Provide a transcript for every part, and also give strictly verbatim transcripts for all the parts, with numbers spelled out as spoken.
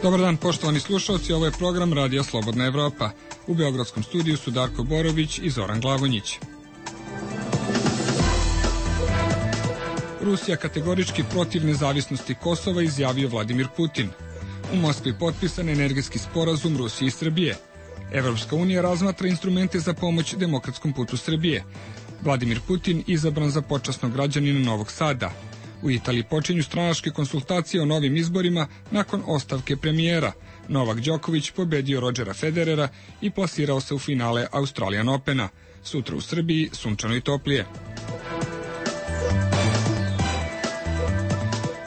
Dobar dan, poštovani slušalci, ovo je program Radija Slobodna Evropa. U beogradskom studiju su Darko Borović i Zoran Glavonjić. Rusija kategorički protiv nezavisnosti Kosova, izjavio Vladimir Putin. U Moskvi potpisan energetski sporazum Rusije i Srbije. Evropska unija razmatra instrumente za pomoć demokratskom putu Srbije. Vladimir Putin izabran za počasnog građanina Novog Sada. U Italiji počinju stranačke konsultacije o novim izborima nakon ostavke premijera. Novak Đoković pobedio Rodžera Federera i plasirao se u finale Australian Opena. Sutra u Srbiji sunčano i toplije.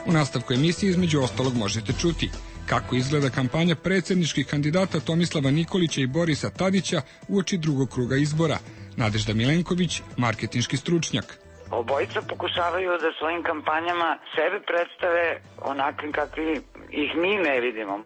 U nastavku emisije između ostalog možete čuti kako izgleda kampanja predsjedničkih kandidata Tomislava Nikolića i Borisa Tadića uoči drugog kruga izbora. Nadežda Milenković, marketinški stručnjak. Obojica pokušavaju da svojim kampanjama sebe predstave onakvim kakvi ih mi ne vidimo.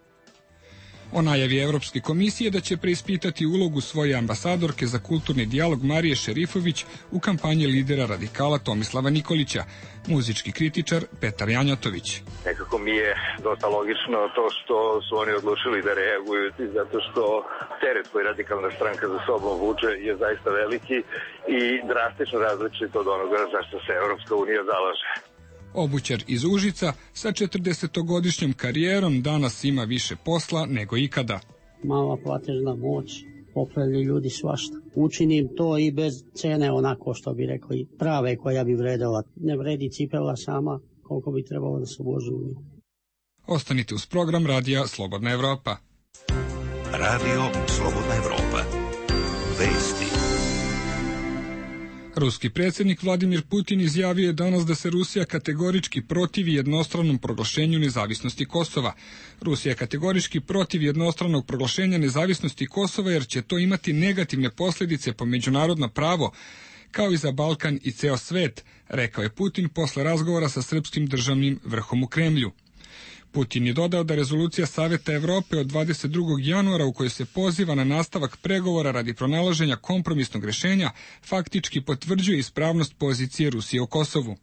O najavi Evropske komisije da će preispitati ulogu svoje ambasadorke za kulturni dijalog Marije Šerifović u kampanji lidera radikala Tomislava Nikolića, muzički kritičar Petar Janjatović. Nekako mi je dosta logično to što su oni odlučili da reaguju, zato što teret koji radikalna stranka za sobom vuče je zaista veliki i drastično različit od onoga za što se Evropska unija zalaže. Obućar iz Užica sa četrdesetogodišnjom karijerom danas ima više posla nego ikada. Mala platežna moć, popravljaju ljudi svašta. Učinim to i bez cene, onako što bi rekli, prave koja bi vredela. Ne vredi cipela sama koliko bi trebalo da se uloži u nju. Ostanite uz program Radija Slobodna Evropa. Radio Slobodna Evropa. Vesti. Ruski predsjednik Vladimir Putin izjavio je danas da se Rusija kategorički protivi jednostranom proglašenju nezavisnosti Kosova. Rusija je kategorički protiv jednostranog proglašenja nezavisnosti Kosova jer će to imati negativne posljedice po međunarodno pravo, kao i za Balkan i ceo svet, rekao je Putin posle razgovora sa srpskim državnim vrhom u Kremlju. Putin je dodao da rezolucija Saveta Evrope od dvadeset drugog januara u kojoj se poziva na nastavak pregovora radi pronalaženja kompromisnog rešenja faktički potvrđuje ispravnost pozicije Rusije o Kosovu.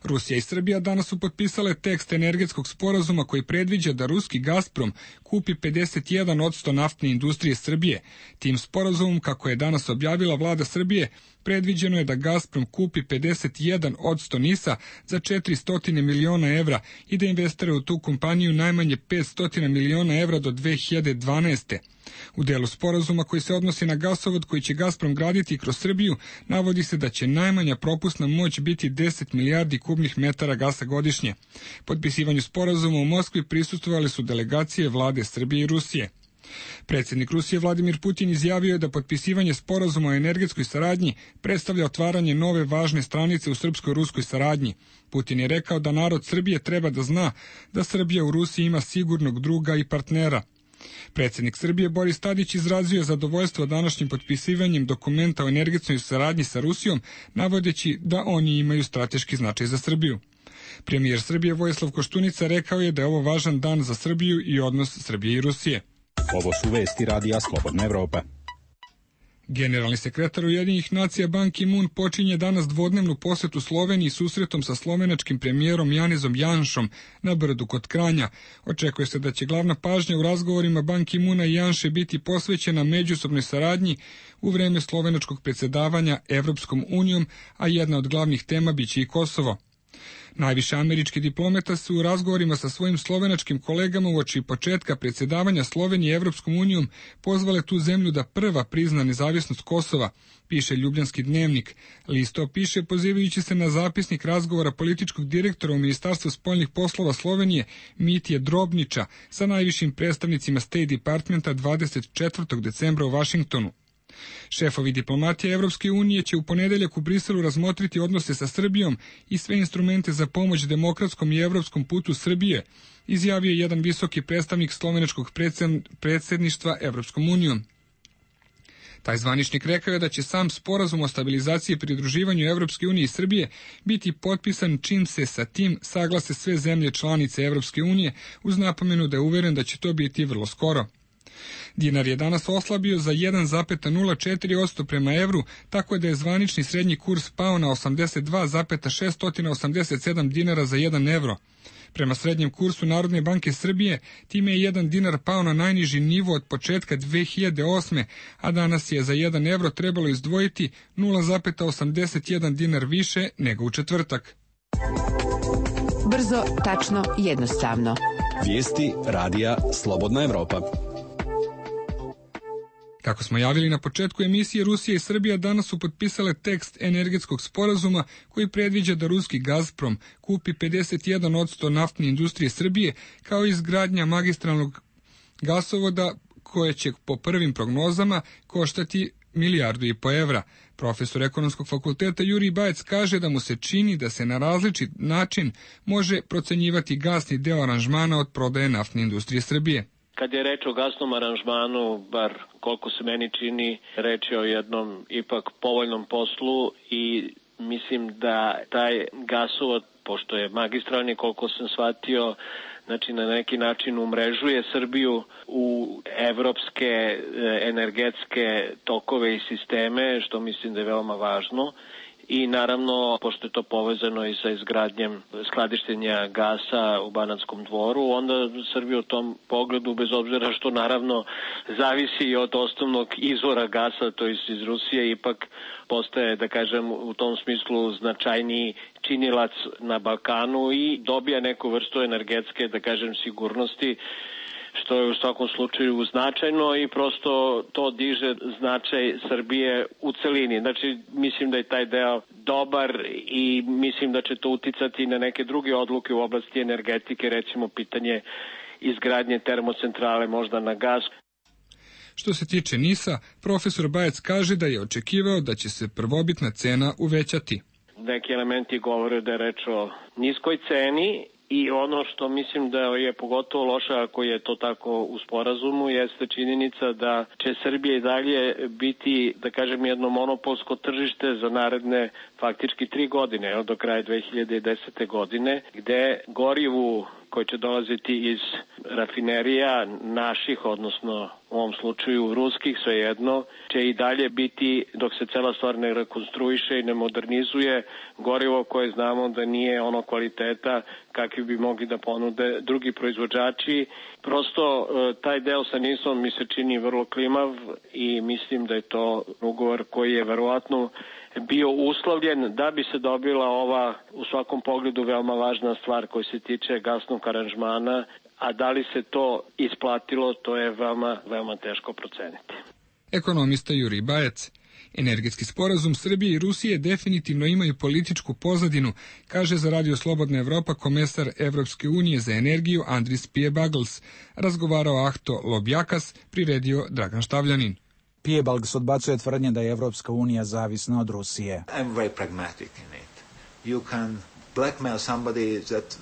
Rusija i Srbija danas su potpisale tekst energetskog sporazuma koji predviđa da ruski Gazprom kupi pedeset jedan posto naftne industrije Srbije. Tim sporazumom, kako je danas objavila vlada Srbije, predviđeno je da Gazprom kupi pedeset jedan posto NIS-a za četiristo miliona evra i da investira u tu kompaniju najmanje petsto miliona evra do dve hiljade dvanaeste. U delu sporazuma koji se odnosi na gasovod koji će Gazprom graditi kroz Srbiju, navodi se da će najmanja propusna moć biti deset milijardi kubnih metara gasa godišnje. Potpisivanju sporazuma u Moskvi prisustvovali su delegacije vlade Srbije i Rusije. Predsjednik Rusije Vladimir Putin izjavio je da potpisivanje sporazuma o energetskoj saradnji predstavlja otvaranje nove važne stranice u srpsko-ruskoj saradnji. Putin je rekao da narod Srbije treba da zna da Srbija u Rusiji ima sigurnog druga i partnera. Predsjednik Srbije Boris Tadić izrazio je zadovoljstvo današnjim potpisivanjem dokumenta o energetskoj saradnji sa Rusijom, navodeći da oni imaju strateški značaj za Srbiju. Premijer Srbije Vojislav Koštunica rekao je da je ovo važan dan za Srbiju i odnos Srbije i Rusije. Ovo su vesti Radija Slobodna Evropa. Generalni sekretar Ujedinjenih nacija Ban Ki-moon počinje danas dvodnevnu posetu Sloveniji susretom sa slovenačkim premijerom Janezom Janšom na Brdu kod Kranja. Očekuje se da će glavna pažnja u razgovorima Ban Ki-moona i Janše biti posvećena međusobnoj saradnji u vreme slovenačkog predsjedavanja Evropskom unijom, a jedna od glavnih tema biće i Kosovo. Najviše američki diplomata su u razgovorima sa svojim slovenačkim kolegama uoči početka predsjedavanja Slovenije Evropskom unijom pozvale tu zemlju da prva prizna nezavisnost Kosova, piše Ljubljanski dnevnik. List to piše pozivajući se na zapisnik razgovora političkog direktora u Ministarstvu spoljnih poslova Slovenije Mitje Drobnića sa najvišim predstavnicima State Departmenta dvadeset četvrtog decembra u Vašingtonu. Šefovi diplomatije Evropske unije će u ponedeljak u Briselu razmotriti odnose sa Srbijom i sve instrumente za pomoć demokratskom i evropskom putu Srbije, izjavio je jedan visoki predstavnik slovenačkog predsjedništva Evropskom unijom. Taj zvaničnik rekao je da će sam sporazum o stabilizaciji i pridruživanju Evropske unije i Srbije biti potpisan čim se sa tim saglase sve zemlje članice Evropske unije, uz napomenu da je uveren da će to biti vrlo skoro. Dinar je danas oslabio za jedan zarez nula četiri posto prema evru, tako da je zvanični srednji kurs pao na osamdeset dva zarez šest osamdeset sedam dinara za jedan evro. Prema srednjem kursu Narodne banke Srbije, time je jedan dinar pao na najniži nivo od početka dve hiljade osme. a danas je za jedan evro trebalo izdvojiti nula zarez osamdeset jedan dinar više nego u četvrtak. Brzo, tačno, jednostavno. Vijesti radija Slobodna Evropa. Kako smo javili na početku emisije, Rusija i Srbija danas su potpisale tekst energetskog sporazuma koji predviđa da ruski Gazprom kupi pedeset jedan posto naftne industrije Srbije, kao i izgradnja magistralnog gasovoda koje će po prvim prognozama koštati milijardu i po evra. Profesor ekonomskog fakulteta Jurij Bajec kaže da mu se čini da se na različit način može procenjivati gasni deo aranžmana od prodaje naftne industrije Srbije. Kad je reč o gasnom aranžmanu, bar koliko se meni čini, reč je o jednom ipak povoljnom poslu i mislim da taj gasovod, pošto je magistralni, koliko sam shvatio, znači na neki način umrežuje Srbiju u evropske energetske tokove i sisteme, što mislim da je veoma važno. I naravno, pošto je to povezano i sa izgradnjem skladištenja gasa u Banatskom Dvoru, onda Srbija u tom pogledu, bez obzira što naravno zavisi i od osnovnog izvora gasa, to je iz Rusije, ipak postaje, da kažem, u tom smislu značajniji činilac na Balkanu i dobija neku vrstu energetske, da kažem, sigurnosti, što je u svakom slučaju značajno i prosto to diže značaj Srbije u celini. Znači, mislim da je taj deo dobar i mislim da će to uticati na neke druge odluke u oblasti energetike, recimo pitanje izgradnje termocentrale možda na gas. Što se tiče NIS-a, profesor Bajec kaže da je očekivao da će se prvobitna cena uvećati. Neki elementi govore da je reč o niskoj ceni. I ono što mislim da je pogotovo loše ako je to tako u sporazumu jeste činjenica da će Srbija i dalje biti, da kažem, jedno monopolsko tržište za naredne faktički tri godine, do kraja dve hiljade desete. godine, gde gorivu koje će dolaziti iz rafinerija naših, odnosno u ovom slučaju ruskih, svejedno, će i dalje biti, dok se cela stvar ne rekonstruiše i ne modernizuje, gorivo koje znamo da nije ono kvaliteta kakvi bi mogli da ponude drugi proizvođači. Prosto taj deo sa NIS-om mi se čini vrlo klimav i mislim da je to ugovor koji je verovatno bio uslovljen da bi se dobila ova u svakom pogledu veoma važna stvar koja se tiče gasnog aranžmana, a da li se to isplatilo, to je veoma, veoma teško proceniti. Ekonomista Jurij Bajec. Energetski sporazum Srbije i Rusije definitivno imaju političku pozadinu, kaže za Radio Slobodna Evropa komesar Evropske unije za energiju Andris Piebalgs. Razgovarao Ahto Lobjakas, priredio Dragan Štavljanin. Piebalgs odbacuje tvrdnje da je Evropska unija zavisna od Rusije. I'm very pragmatic in it. You can blackmail somebody that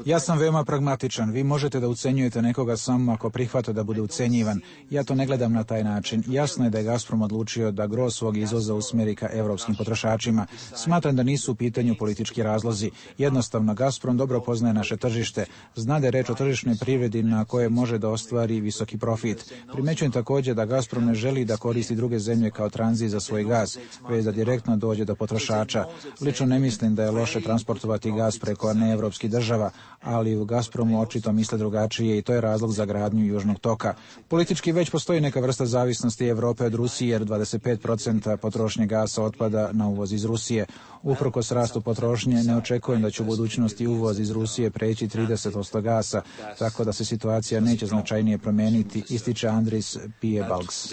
Ja sam veoma pragmatičan. Vi možete da ucenjujete nekoga samo ako prihvata da bude ucenjivan. Ja to ne gledam na taj način. Jasno je da je Gazprom odlučio da gro svog izvoza usmeri ka evropskim potrošačima. Smatram da nisu u pitanju politički razlozi. Jednostavno, Gazprom dobro poznaje naše tržište. Zna da je reč o tržišnoj privredi na koje može da ostvari visoki profit. Primećujem također da Gazprom ne želi da koristi druge zemlje kao tranzit za svoj gaz, već da direktno dođe do potrošača. Lično ne mislim da je loše transportovati gaz preko neevropskih država, ali u Gazpromu očito misle drugačije i to je razlog za gradnju Južnog toka. Politički već postoji neka vrsta zavisnosti Evrope od Rusije, jer dvadeset pet posto potrošnje gasa otpada na uvoz iz Rusije. Uprkos rastu potrošnje, ne očekujem da će u budućnosti uvoz iz Rusije preći trideset posto gasa, tako da se situacija neće značajnije promeniti, ističe Andris Piebalgs.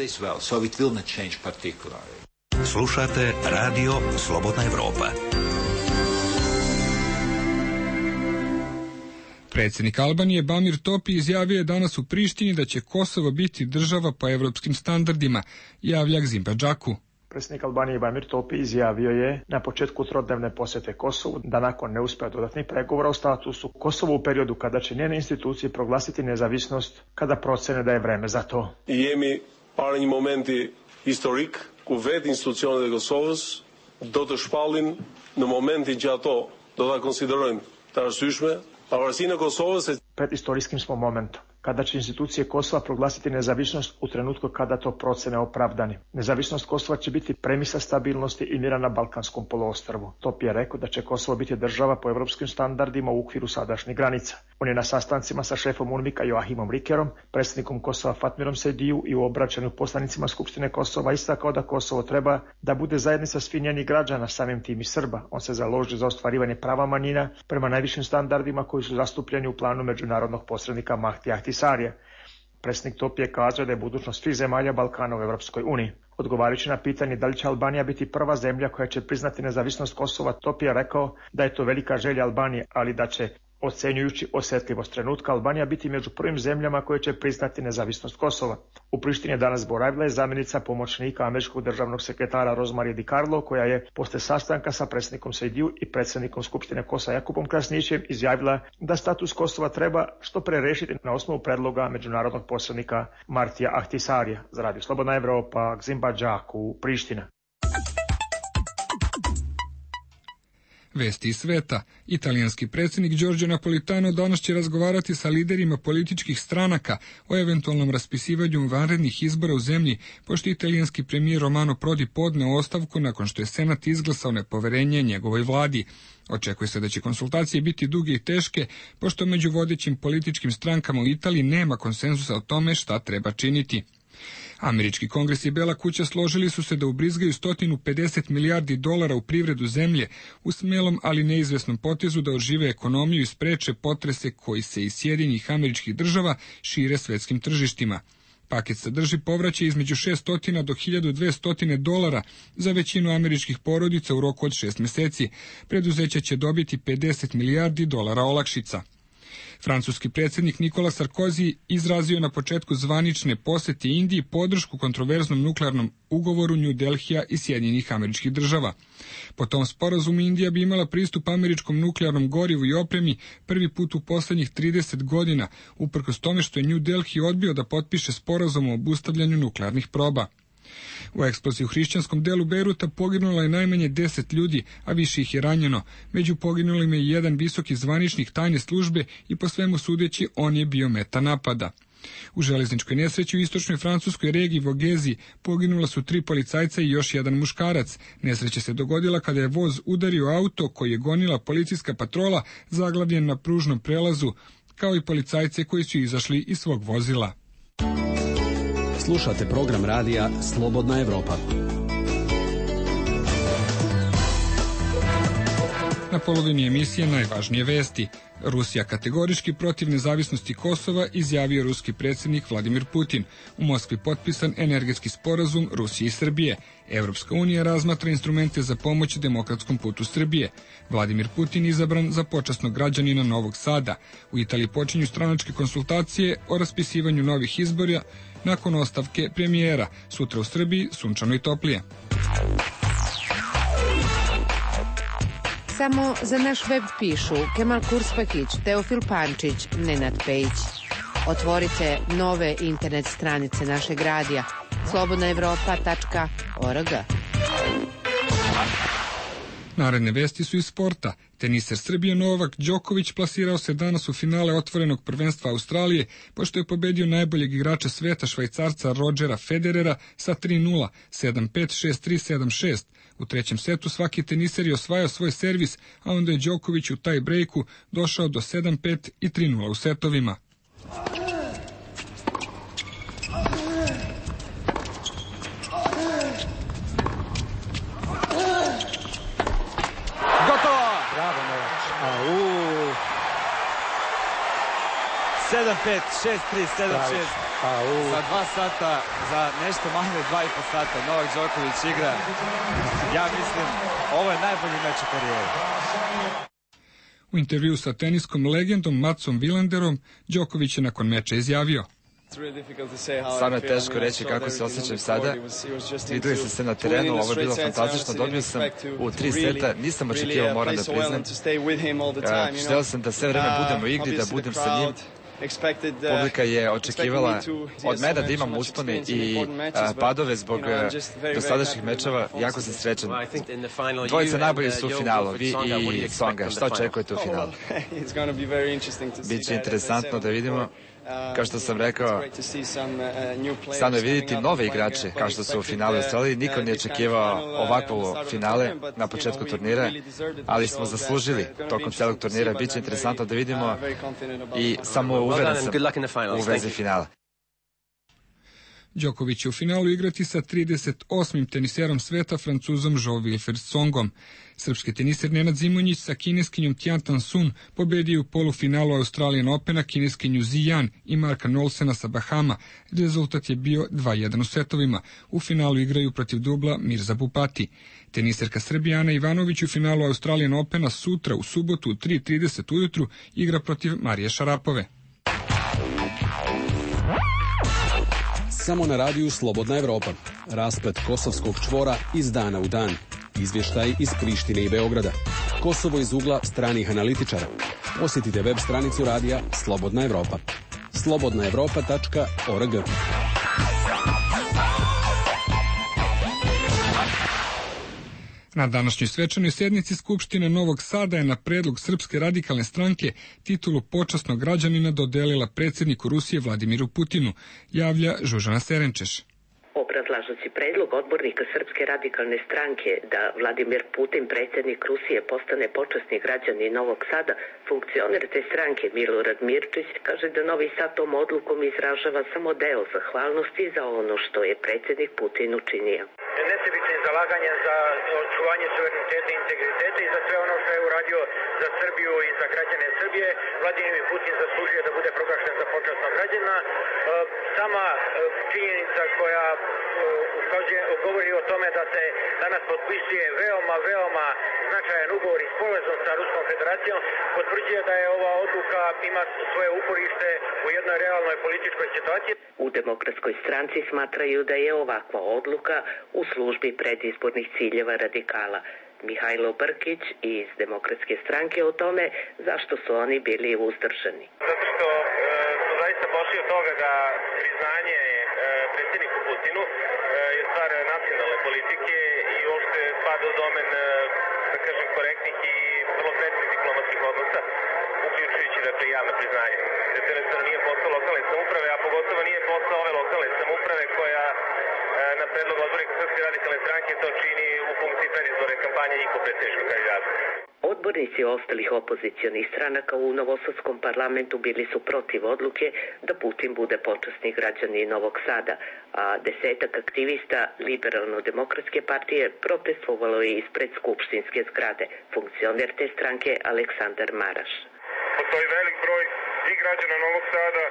Slušate Radio Slobodna Evropa. Predsjednik Albanije Bamir Topi izjavio je danas u Prištini da će Kosovo biti država po evropskim standardima, javlja Gzim Badžaku. Predsjednik Albanije Bamir Topi izjavio je na početku trodnevne posjete Kosovu da nakon neuspjeha dodatnih pregovora o statusu Kosovo u periodu kada će njene institucije proglasiti nezavisnost, kada procene da je vreme za to. Jemi parë një momenti historik ku vetë institucionet e Kosovës do të shpallin në momentin që ato do ta konsiderojnë të arsyeshme. Pred istorijskim smo momentom, kada će institucije Kosova proglasiti nezavisnost u trenutku kada to procene opravdani. Nezavisnost Kosova će biti premisa stabilnosti i mira na Balkanskom poluostrvu. Top je rekao da će Kosovo biti država po evropskim standardima u okviru sadašnjih granica. On je na sastancima sa šefom UNMIK-a Joachimom Rikerom, predsjednikom Kosova Fatmirom Sejdiju i u obraćanju poslanicima Skupštine Kosova istakao da Kosovo treba da bude zajednica svih njenih građana, samim tim i Srba. On se založi za ostvarivanje prava manjina prema najvišim standardima koji su zastupljeni u planu međunarodnog posrednika Mahdi Ahtisarija. Predsjednik Top je kazao da je budućnost svih zemalja Balkana u Evropskoj uniji. Odgovarajući na pitanje da li će Albanija biti prva zemlja koja će priznati nezavisnost Kosova, Top je rekao da je to velika želja Albanije, ali da će, ocenjujući osjetljivost trenutka, Albanija biti među prvim zemljama koje će priznati nezavisnost Kosova. U Prištini je danas boravila je zamjenica pomoćnika američkog državnog sekretara Rosemary DiCarlo, koja je posle sastanka sa predsjednikom Sejdiju i predsjednikom Skupštine Kosova Jakubom Krasnićem izjavila da status Kosova treba što pre rešiti na osnovu predloga međunarodnog posrednika Martija Ahtisarija. Za Radio Slobodna Evropa, Gzimba Đaku, Priština. Vesti iz sveta. Italijanski predsjednik Giorgio Napolitano danas će razgovarati sa liderima političkih stranaka o eventualnom raspisivanju vanrednih izbora u zemlji, pošto italijanski premijer Romano Prodi podneo ostavku nakon što je Senat izglasao nepoverenje njegovoj vladi. Očekuje se da će konsultacije biti duge i teške, pošto među vodećim političkim strankama u Italiji nema konsenzusa o tome šta treba činiti. Američki kongres i Bela kuća složili su se da ubrizgaju sto pedeset milijardi dolara u privredu zemlje u smelom, ali neizvesnom potezu da ožive ekonomiju i spreče potrese koji se iz Sjedinjenih Američkih Država šire svetskim tržištima. Paket sadrži povraćaj između šesto do hiljadu dvesta dolara za većinu američkih porodica u roku od šest meseci. Preduzeća će dobiti pedeset milijardi dolara olakšica. Francuski predsjednik Nikola Sarkozy izrazio na početku zvanične posete Indiji podršku kontroverznom nuklearnom ugovoru New Delhija i Sjedinjenih Američkih Država. Po tom sporazumu Indija bi imala pristup američkom nuklearnom gorivu i opremi prvi put u poslednjih trideset godina, uprkos tome što je New Delhi odbio da potpiše sporazum o obustavljanju nuklearnih proba. U eksploziji u hrišćanskom delu Bejruta poginulo je najmanje deset ljudi, a više ih je ranjeno. Među poginulima je jedan visoki zvaničnik tajne službe i po svemu sudeći on je bio meta napada. U železničkoj nesreći u istočnoj francuskoj regiji Vogezi poginula su tri policajca i još jedan muškarac. Nesreća se dogodila kada je voz udario auto koji je gonila policijska patrola zaglavljen na pružnom prelazu, kao i policajce koji su izašli iz svog vozila. Slušate program radija Slobodna Evropa. Na polovini emisije najvažnije vesti. Rusija kategorički protiv nezavisnosti Kosova, izjavio ruski predsjednik Vladimir Putin. U Moskvi potpisan energetski sporazum Rusije i Srbije. Evropska unija razmatra instrumente za pomoć demokratskom putu Srbije. Vladimir Putin izabran za počasnog građanina Novog Sada. U Italiji počinju stranačke konsultacije o raspisivanju novih izbora nakon ostavke premijera. Sutra u Srbiji sunčano i toplije. Samo za naš web pišu Kemal Kurspakić, Teofil Pančić, Nenad Pejić. Otvorite nove internet stranice našeg radija slobodna evropa tačka org. Naredne vesti su iz sporta. Teniser Srbije Novak Đoković plasirao se danas u finale otvorenog prvenstva Australije, pošto je pobedio najboljeg igrača sveta Švajcarca Rodgera Federera sa tri nula, sedam pet, šest tri, sedam šest. U trećem setu svaki teniser je osvajao svoj servis, a onda je Đoković u taj brejku došao do sedam pet i tri nula u setovima. sedam pet, šest tri, sedam šest. Za dva sata, za nešto manje dva i po sata Novak Đoković igra. Ja mislim, ovo je najbolji meč u karijeri. U intervju sa teniskom legendom Matsom Vilanderom, Đoković je nakon meča izjavio: Stvarno je teško reći kako se osjećam sada. Videli ste se na terenu, ovo je bilo fantastično. Dobio sam u tri seta, nisam očekivao, moram da priznam. Želeo sam da sve vreme budem u igri, da budem sa njim. Publika je očekivala od mene da imam uspone i padove zbog dosadašnjih mečeva. Jako sam srećan. Dvojica najbolji su u finalu, vi i Tsonga. Šta očekujete u finalu? Biće interesantno da vidimo. Kao što sam rekao, stvarno je vidjeti nove igrače, kao što su u finalu Australiji. Niko nije očekivao ovakvo finale na početku turnira, ali smo zaslužili tokom celog turnira. Biće interesantno da vidimo i samo uveren sam u vezi finala. Đoković će u finalu igrati sa trideset osmim teniserom sveta, Francuzom Jo Wilfried Tsongom. Srpski teniser Nenad Zimonjić sa kineskinjom Tian Tan Sun pobedio u polufinalu Australian Opena kineskinju Ziyan i Marka Nolsena sa Bahama. Rezultat je bio dva jedan u setovima. U finalu igraju protiv dubla Mirza Bupati. Teniserka Srbija Ana Ivanović u finalu Australian Opena sutra u subotu u tri trideset ujutru igra protiv Marije Šarapove. Samo na radiju Slobodna Evropa. Rasplet kosovskog čvora iz dana u dan. Izvještaj iz Prištine i Beograda. Kosovo iz ugla stranih analitičara. Posjetite web stranicu radija Slobodna Evropa. slobodna evropa tačka org. Na današnjoj svečanoj sednici Skupštine Novog Sada je na predlog Srpske radikalne stranke titulu počasnog građanina dodelila predsjedniku Rusije Vladimiru Putinu, javlja Žužana Serenčeš. Obrazlažući predlog odbornika Srpske radikalne stranke da Vladimir Putin, predsjednik Rusije, postane počasni građanin Novog Sada, funkcioner te stranke Milorad Mirčić kaže da Novi Sad tom odlukom izražava samo deo zahvalnosti za ono što je predsjednik Putin učinio. Nesebičnim zalaganjem za očuvanje suvereniteta i integriteta i za sve ono što je uradio za Srbiju i za građane Srbije, Vladimir Putin zaslužuje da bude proglašen za počasnog građanina. Sama činjenica koja ukazuje, govori o tome da se danas potpisuje veoma, veoma značajan ugovor i sporazum sa Ruskom federacijom, potvrđuje da je ova odluka ima svoje uporište u jednoj realnoj političkoj situaciji. U Demokratskoj stranci smatraju da je ovakva odluka u službi predizbornih ciljeva radikala. Mihajlo Brkić iz Demokratske stranke o tome zašto su oni bili uzdržani. Zato što e, su zaista pošli od toga da priznanje e, predsjedniku Putinu e, je stvar nacionalne politike i uopšte spada u domen, e, da kažem, korektnih i vrlo sretnih diplomatskih odnosa, uključujući dakle javno priznanje. Jer to jednostavno nije posao lokalne samouprave, a pogotovo nije posao ove lokalne samouprave koja e, na predlog odbornika Srpske radikalne stranke to čini u funkciji predizborne kampanje njihov predsjedničkog kandidata. Odbornici ostalih opozicionih stranaka u Novosadskom parlamentu bili su protiv odluke da Putin bude počasni građanin Novog Sada, a desetak aktivista Liberalno-demokratske partije protestovalo je ispred skupštinske zgrade. Funkcioner te stranke Aleksandar Maraš. Postoji velik broj i građana Novog Sada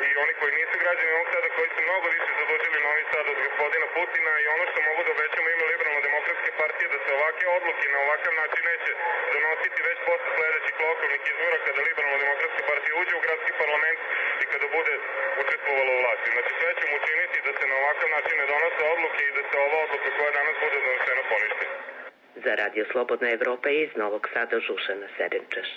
i oni koji nisu građani Novog Sada, koji su mnogo više zadužili Novi Sad od gospodina Putina, i ono što mogu da obećamo ime Liberalno-demokratske partije da se ovake odluke na ovakav način neće donositi već posle sledećih lokalnih izbora kada Liberalno-demokratska partija uđe u gradski parlament i kada bude učestvovala u vlasti. Znači sve ćemo učiniti da se na ovakav način ne donose odluke i da se ova odluka koja danas bude donesena poništi. Za Radio Slobodna Evropa iz Novog Sada Žužana Serenčeš.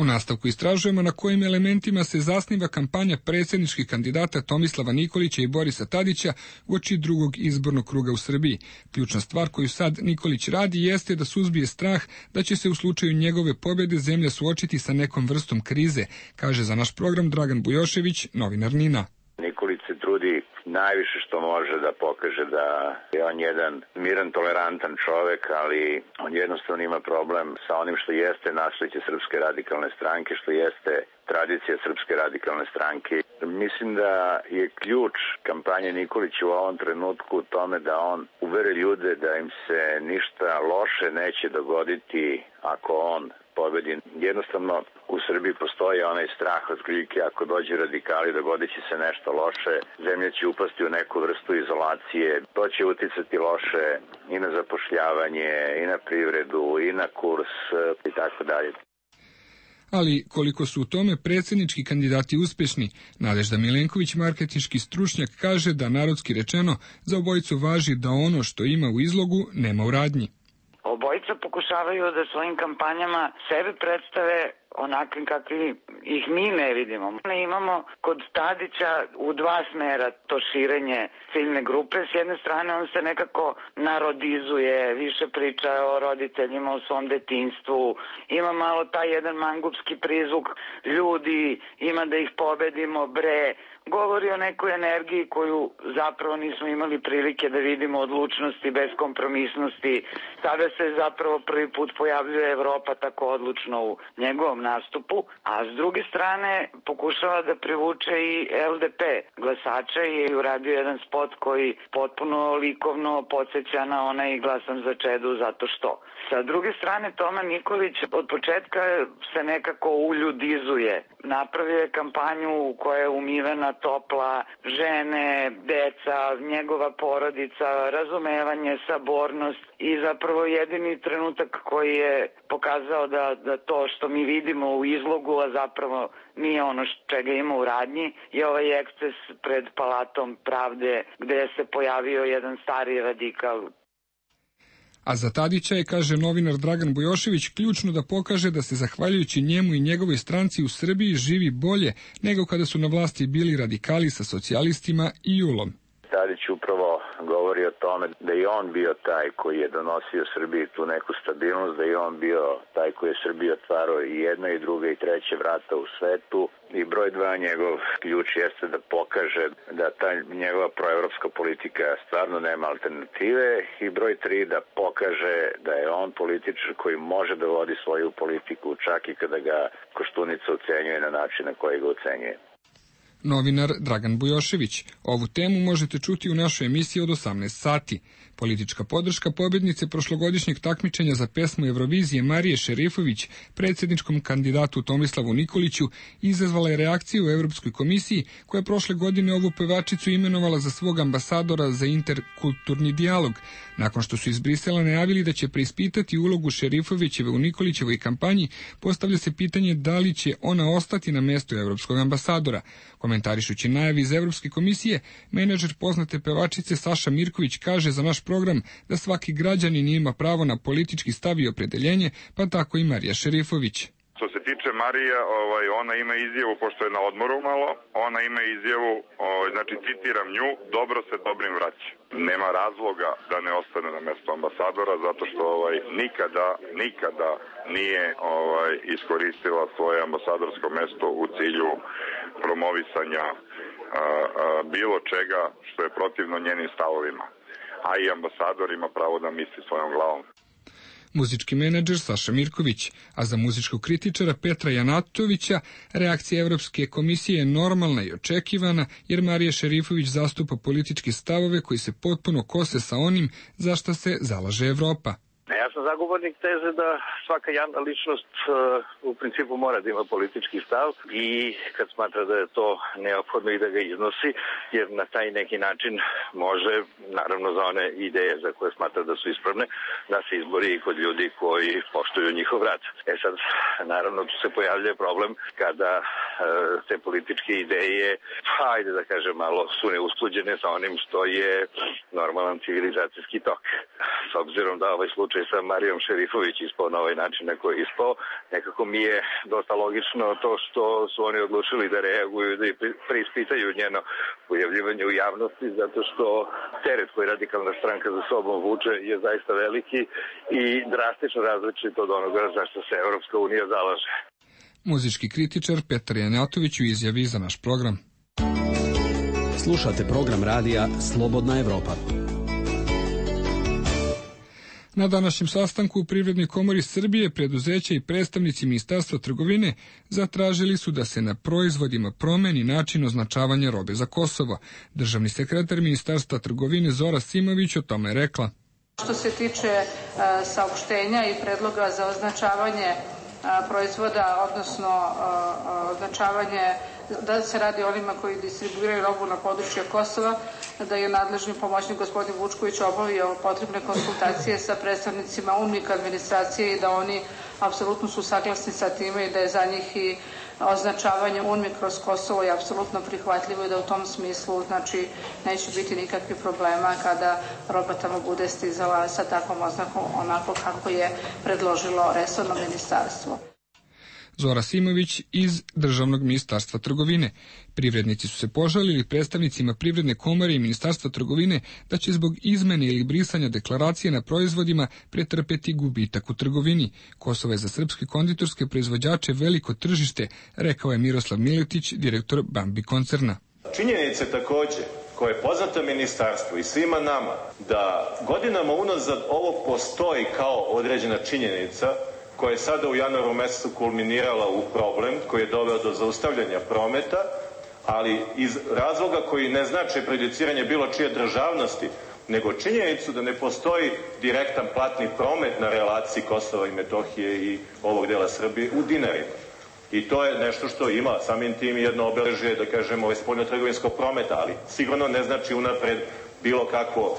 U nastavku istražujemo na kojim elementima se zasniva kampanja predsjedničkih kandidata Tomislava Nikolića i Borisa Tadića uoči drugog izbornog kruga u Srbiji. Ključna stvar koju sad Nikolić radi jeste da suzbije strah da će se u slučaju njegove pobjede zemlja suočiti sa nekom vrstom krize, kaže za naš program Dragan Bujošević, novinar NIN-a. Nikolić se trudi najviše što može da pokaže da je on jedan miran, tolerantan čovek, ali on jednostavno ima problem sa onim što jeste nasleđe Srpske radikalne stranke, što jeste tradicija Srpske radikalne stranke. Mislim da je ključ kampanje Nikolića u ovom trenutku u tome da on uveri ljude da im se ništa loše neće dogoditi ako on pobedi. Jednostavno u Srbiji postoji onaj strah od prilike, ako dođe radikali dogodit će se nešto loše, zemlja će upasti u neku vrstu izolacije, to će uticati loše i na zapošljavanje, i na privredu, i na kurs i tako dalje. Ali koliko su u tome predsjednički kandidati uspješni, Nadežda Milenković, marketinški stručnjak, kaže da narodski rečeno za obojicu važi da ono što ima u izlogu nema u radnji. Obojica pokušavaju da svojim kampanjama sebe predstave onakvim kakvi ih mi ne vidimo. Imamo kod Tadića u dva smera to širenje ciljne grupe. S jedne strane on se nekako narodizuje, više priča o roditeljima, o svom detinjstvu. Ima malo taj jedan mangupski prizvuk, ljudi, ima da ih pobedimo, bre. Govori o nekoj energiji koju zapravo nismo imali prilike da vidimo, odlučnosti, beskompromisnosti. Sada se zapravo prvi put pojavljuje Evropa tako odlučno u njegovom nastupu, a s druge strane pokušava da privuče i L D P glasača i je uradio jedan spot koji potpuno likovno podsjeća na onaj glasam za Čedu zato što. Sa druge strane Toma Nikolić od početka se nekako uljudizuje. Napravio je kampanju koja je umivena, topla, žene, deca, njegova porodica, razumevanje, sabornost i zapravo jedini trenutak koji je pokazao da, da to što mi vidimo u izlogu, a zapravo nije ono čega ima u radnji, je ovaj eksces pred Palatom pravde gde se pojavio jedan stari radikal. A za Tadića je, kaže novinar Dragan Bujošević, ključno da pokaže da se zahvaljujući njemu i njegovoj stranci u Srbiji živi bolje nego kada su na vlasti bili radikali sa socijalistima i Julom. Tadić upravo govori o tome da je on bio taj koji je donosio Srbiji tu neku stabilnost, da je on bio taj koji je Srbiji otvarao i jedna i druga i treće vrata u svetu. I broj dva, njegov ključ jeste da pokaže da ta njegova proevropska politika stvarno nema alternative i broj tri, da pokaže da je on političar koji može da vodi svoju politiku čak i kada ga Koštunica ocenjuje na način na koji ga ocenjuje. Novinar Dragan Bujošević. Ovu temu možete čuti u našoj emisiji od osamnaest sati. Politička podrška pobjednice prošlogodišnjeg takmičenja za pesmu Eurovizije Marije Šerifović predsjedničkom kandidatu Tomislavu Nikoliću izazvala je reakciju u Europskoj komisiji, koja je prošle godine ovu pevačicu imenovala za svog ambasadora za interkulturni dijalog, nakon što su iz Brisela najavili da će preispitati ulogu Šerifovićeve u Nikolićevoj kampanji. Postavlja se pitanje da li će ona ostati na mjestu europskog ambasadora. Komentarišući najavi iz Evropske komisije, menadžer poznate pevačice Saša Mirković kaže za naš program da svaki građanin ima pravo na politički stav i opredeljenje, pa tako i Marija Šerifović. Što se tiče Marija, ovaj, ona ima izjavu, pošto je na odmoru malo, ona ima izjavu, ovaj, znači citiram nju, dobro se dobrim vraća. Nema razloga da ne ostane na mjestu ambasadora, zato što ovaj, nikada, nikada nije ovaj, iskoristila svoje ambasadorsko mjesto u cilju promovisanja a, a, bilo čega što je protivno njenim stavovima. A i ambasador ima pravo da misli svojom glavom. Muzički menadžer Saša Mirković, a za muzičkog kritičara Petra Janatovića reakcija Evropske komisije je normalna i očekivana, jer Marija Šerifović zastupa političke stavove koji se potpuno kose sa onim za što se zalaže Evropa. Ja sam zagovornik teze da svaka javna ličnost uh, u principu mora da ima politički stav i kad smatra da je to neophodno i da ga iznosi, jer na taj neki način može, naravno za one ideje za koje smatra da su ispravne, da se izbori i kod ljudi koji poštuju njihov rad. E sad, naravno, tu se pojavljuje problem kada uh, te političke ideje, pa ajde da kažem malo, su neusklađene sa onim što je normalan civilizacijski tok. S obzirom da ovaj slučaj sa Marijom Šerifović ispao na ovaj način na koji je ispao, nekako mi je dosta logično to što su oni odlučili da reaguju, da preispitaju njeno pojavljivanje u javnosti, zato što teret koji radikalna stranka za sobom vuče je zaista veliki i drastično različit od onoga za što se Evropska unija zalaže. Muzički kritičar Petar Janatović u izjavi za naš program. Slušate program radija Slobodna Evropa. Na današnjem sastanku u Privrednoj komori Srbije preduzeća i predstavnici Ministarstva trgovine zatražili su da se na proizvodima promeni način označavanja robe za Kosovo. Državni sekretar Ministarstva trgovine Zora Simović o tome rekla. Što se tiče uh, saopštenja i predloga za označavanje uh, proizvoda, odnosno uh, označavanje da se radi o onima koji distribuiraju robu na području Kosova, da je nadležni pomoćnik gospodin Vučković obavio potrebne konsultacije sa predstavnicima UNMIK administracije i da oni apsolutno su saglasni sa time i da je za njih i označavanje UNMIK kroz Kosovo je apsolutno prihvatljivo i da u tom smislu znači neće biti nikakvih problema kada roba tamo bude stizala sa takvom oznakom onako kako je predložilo resorno ministarstvo. Zora Simović iz Državnog ministarstva trgovine. Privrednici su se požalili predstavnicima Privredne komore i Ministarstva trgovine da će zbog izmene ili brisanja deklaracije na proizvodima pretrpeti gubitak u trgovini. Kosovo je za srpske konditorske proizvođače veliko tržište, rekao je Miroslav Miletić, direktor Bambi koncerna. Činjenice takođe koje je poznato ministarstvu i svima nama da godinama unazad ovo postoji kao određena činjenica koja je sada u januaru mesecu kulminirala u problem koji je doveo do zaustavljanja prometa, ali iz razloga koji ne znači prejudiciranje bilo čije državnosti, nego činjenicu da ne postoji direktan platni promet na relaciji Kosova i Metohije i ovog dela Srbije u dinarima. I to je nešto što ima samim tim jedno obeležje, da kažemo, ovaj spoljnotrgovinskog prometa, ali sigurno ne znači unapred bilo kakvo,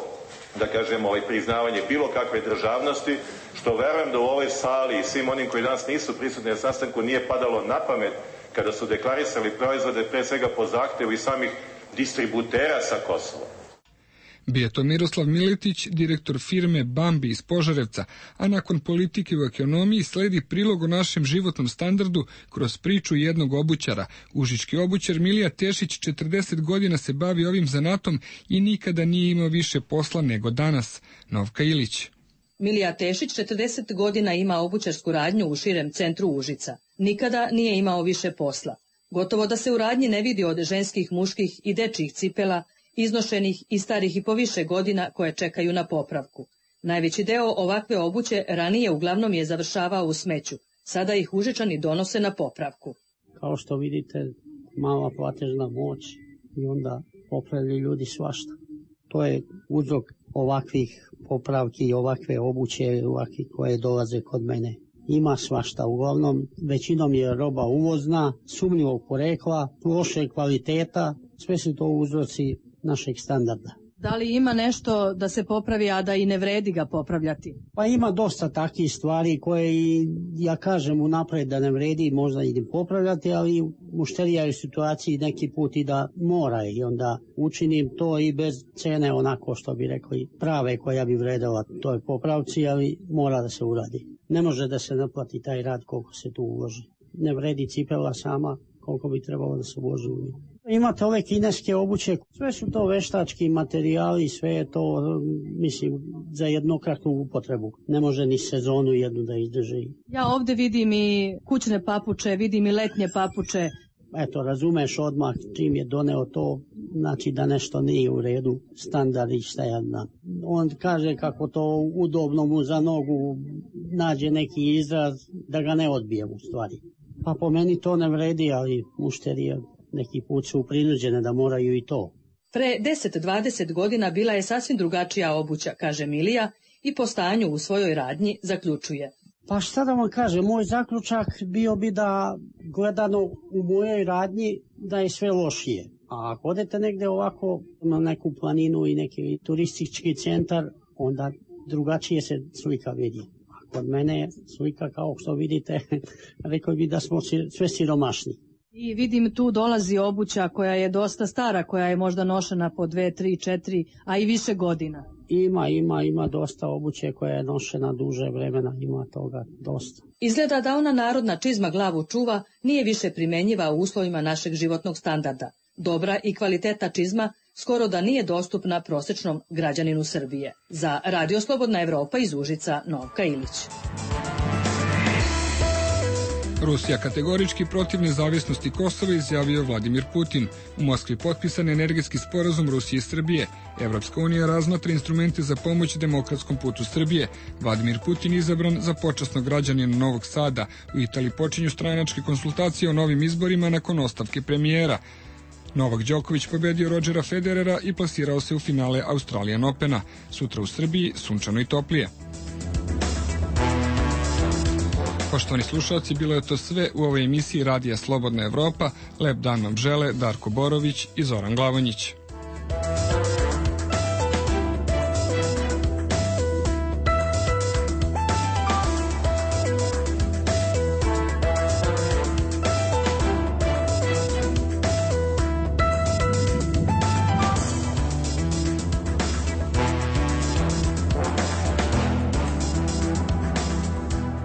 da kažemo, ovaj priznavanje bilo kakve državnosti, što verujem da u ovoj sali i svim onim koji danas nisu prisutni na sastanku nije padalo na pamet kada su deklarisali proizvode pre svega po zahtevu i samih distributera sa Kosova. Bio to Miroslav Miletić, direktor firme Bambi iz Požarevca, a nakon politike u ekonomiji sledi prilog o našem životnom standardu kroz priču jednog obućara. Užički obućar Milija Tešić četrdeset godina se bavi ovim zanatom i nikada nije imao više posla nego danas. Novka Ilić. Milija Tešić četrdeset godina ima obućarsku radnju u širem centru Užica. Nikada nije imao više posla. Gotovo da se u radnji ne vidi od ženskih, muških i dečjih cipela, iznošenih i starih i po više godina koje čekaju na popravku. Najveći deo ovakve obuće ranije uglavnom je završavao u smeću. Sada ih Užičani donose na popravku. Kao što vidite, mala platežna moć i onda popravljaju ljudi svašta. To je uzrok ovakvih popravki i ovakve obuće ovakve koje dolaze kod mene. Ima svašta, uglavnom većinom je roba uvozna, sumnjivog porekla, loše kvaliteta, sve su to uzroci našeg standarda. Da li ima nešto da se popravi, a da i ne vredi ga popravljati? Pa ima dosta takvih stvari koje i ja kažem unapred da ne vredi možda i popravljati, ali mušterija je u situaciji neki put i da mora i onda učinim to i bez cene onako što bi rekli prave koja bi vredela toj popravci, ali mora da se uradi. Ne može da se naplati taj rad koliko se tu uloži. Ne vredi cipela sama koliko bi trebalo da se uloži u nju. Imate ove kineske obuće, sve su to veštački materijali, sve je to, mislim, za jednokratnu upotrebu. Ne može ni sezonu jednu da izdrži. Ja ovde vidim i kućne papuče, vidim i letnje papuče. Eto, razumeš odmah čim je doneo to, znači da nešto nije u redu, standard i šta jedna. On kaže kako to udobno mu za nogu nađe neki izraz da ga ne odbije u stvari. Pa po meni to ne vredi, ali mušterije neki put su prinuđene da moraju i to. Pre deset do dvadeset godina bila je sasvim drugačija obuća, kaže Milija, i po stanju u svojoj radnji zaključuje. Pa šta da vam kažem, moj zaključak bio bi da gledano u mojoj radnji da je sve lošije. A ako odete negde ovako na neku planinu i neki turistički centar, onda drugačije se slika vidi. A kod mene je slika kao što vidite, rekao bi da smo sve siromašni. I vidim tu dolazi obuća koja je dosta stara, koja je možda nošena po dve, tri, četiri, a i više godina. Ima, ima, ima dosta obuće koja je nošena duže vremena, ima toga dosta. Izgleda da ona narodna čizma glavu čuva nije više primenjiva u uslovima našeg životnog standarda. Dobra i kvalitetna čizma skoro da nije dostupna prosečnom građaninu Srbije. Za Radio Slobodna Evropa iz Užica, Novka Ilić. Rusija kategorički protiv nezavisnosti Kosova, izjavio Vladimir Putin. U Moskvi potpisan energetski sporazum Rusije i Srbije. Evropska unija razmatra instrumente za pomoć demokratskom putu Srbije. Vladimir Putin izabran za počasnog građanina Novog Sada. U Italiji počinju stranačke konsultacije o novim izborima nakon ostavke premijera. Novak Đoković pobedio Rodžera Federera i plasirao se u finale Australian Opena. Sutra u Srbiji sunčano i toplije. Poštovani slušalci, bilo je to sve u ovoj emisiji Radija Slobodna Evropa. Lep dan vam žele Darko Borović i Zoran Glavonjić.